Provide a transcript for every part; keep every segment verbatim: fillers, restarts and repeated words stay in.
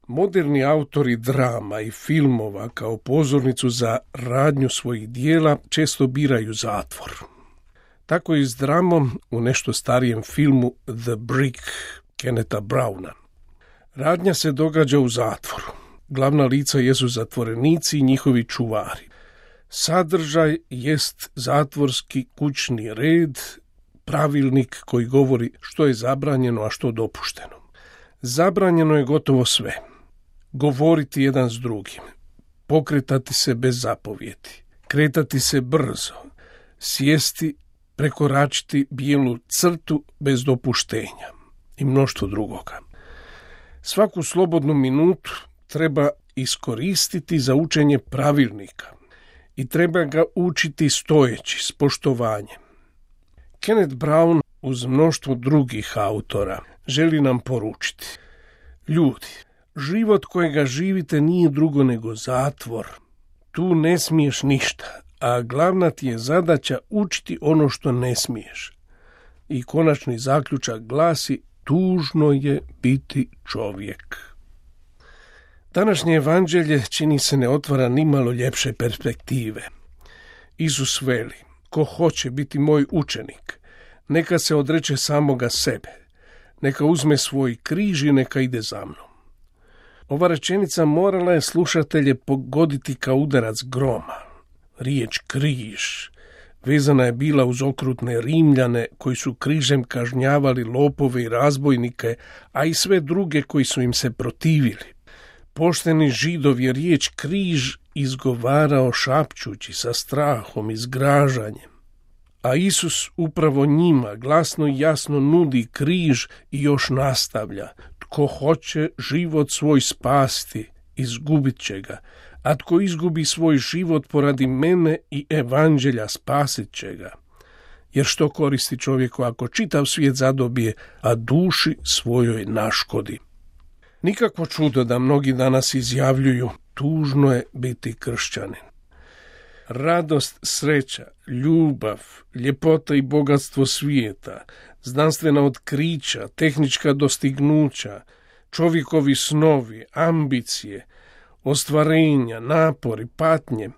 Moderni autori drama i filmova kao pozornicu za radnju svojih dijela često biraju zatvor. Tako i s dramom u nešto starijem filmu The Brick Kennetha Browna. Radnja se događa u zatvoru. Glavna lica jesu zatvorenici i njihovi čuvari. Sadržaj jest zatvorski kućni red, pravilnik koji govori što je zabranjeno, a što dopušteno. Zabranjeno je gotovo sve. Govoriti jedan s drugim, pokretati se bez zapovjedi, kretati se brzo, sjesti, prekoračiti bijelu crtu bez dopuštenja i mnoštvo drugoga. Svaku slobodnu minutu treba iskoristiti za učenje pravilnika i treba ga učiti stojeći, s poštovanjem. Kenneth Brown uz mnoštvo drugih autora želi nam poručiti: ljudi, život kojega živite nije drugo nego zatvor. Tu ne smiješ ništa, a glavna ti je zadaća učiti ono što ne smiješ. I konačni zaključak glasi: tužno je biti čovjek. Današnje evanđelje čini se ne otvara nimalo ljepše perspektive. Isus veli: ko hoće biti moj učenik, neka se odreče samoga sebe, neka uzme svoj križ i neka ide za mnom. Ova rečenica morala je slušatelje pogoditi kao udarac groma. Riječ križ vezana je bila uz okrutne Rimljane koji su križem kažnjavali lopove i razbojnike, a i sve druge koji su im se protivili. Pošteni Židov je riječ križ izgovarao šapćući sa strahom i zgražanjem. A Isus upravo njima glasno i jasno nudi križ i još nastavlja: tko hoće život svoj spasti, izgubit će ga, a tko izgubi svoj život poradi mene i evanđelja, spasit će ga. Jer što koristi čovjeku ako čitav svijet zadobije, a duši svojoj naškodi? Nikakvo čudo da mnogi danas izjavljuju: tužno je biti kršćanin. Radost, sreća, ljubav, ljepota i bogatstvo svijeta, znanstvena otkrića, tehnička dostignuća, čovjekovi snovi, ambicije, ostvarenja, napori, patnje,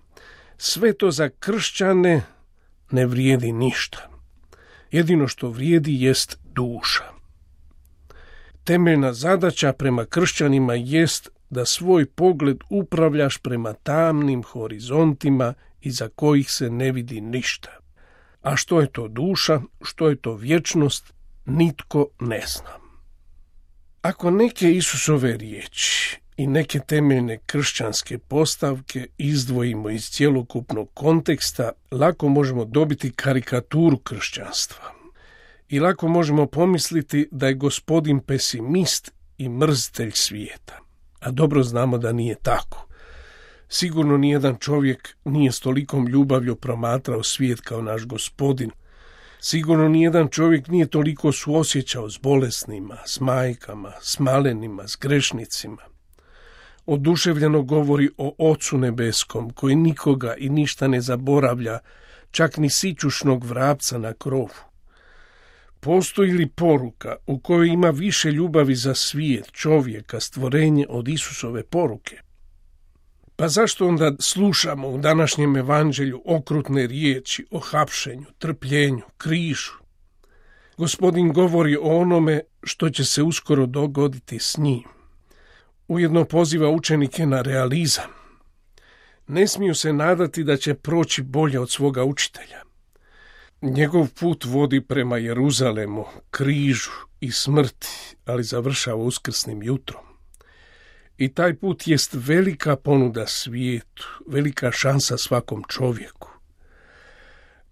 sve to za kršćane ne vrijedi ništa. Jedino što vrijedi jest duša. Temeljna zadaća prema kršćanima jest da svoj pogled upravljaš prema tamnim horizontima iza kojih se ne vidi ništa. A što je to duša, što je to vječnost, nitko ne zna. Ako neke Isusove riječi i neke temeljne kršćanske postavke izdvojimo iz cjelokupnog konteksta, lako možemo dobiti karikaturu kršćanstva. I lako možemo pomisliti da je Gospodin pesimist i mrzitelj svijeta. A dobro znamo da nije tako. Sigurno nijedan čovjek nije s tolikom ljubavlju promatrao svijet kao naš Gospodin. Sigurno nijedan čovjek nije toliko suosjećao s bolesnima, s majkama, s malenima, s grešnicima. Oduševljeno govori o Ocu nebeskom, koji nikoga i ništa ne zaboravlja, čak ni sićušnog vrapca na krovu. Postoji li poruka u kojoj ima više ljubavi za svijet, čovjeka, stvorenje od Isusove poruke? Pa zašto onda slušamo u današnjem evanđelju okrutne riječi o hapšenju, trpljenju, križu? Gospodin govori o onome što će se uskoro dogoditi s njim. Ujedno poziva učenike na realizam. Ne smiju se nadati da će proći bolje od svoga učitelja. Njegov put vodi prema Jeruzalemu, križu i smrti, ali završava uskrsnim jutrom. I taj put jest velika ponuda svijetu, velika šansa svakom čovjeku.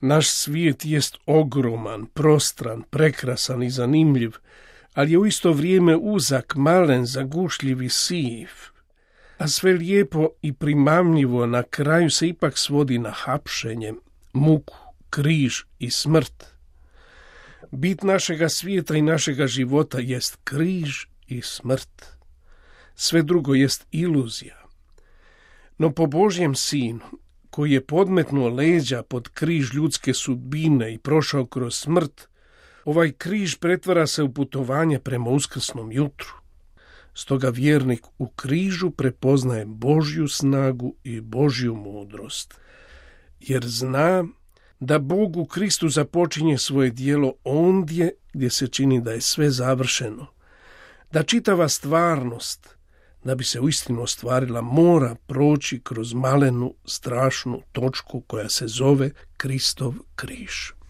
Naš svijet jest ogroman, prostran, prekrasan i zanimljiv, ali je u isto vrijeme uzak, malen, zagušljiv i siv. A sve lijepo i primamljivo na kraju se ipak svodi na hapšenje, muku, križ i smrt. Bit našega svijeta i našega života jest križ i smrt. Sve drugo jest iluzija. No po Božjem sinu, koji je podmetnuo leđa pod križ ljudske sudbine i prošao kroz smrt, ovaj križ pretvara se u putovanje prema uskrsnom jutru. Stoga vjernik u križu prepoznaje Božju snagu i Božju mudrost, jer zna da Bog u Kristu započinje svoje djelo ondje gdje se čini da je sve završeno, da čitava stvarnost, da bi se uistinu ostvarila, mora proći kroz malenu, strašnu točku koja se zove Kristov križ.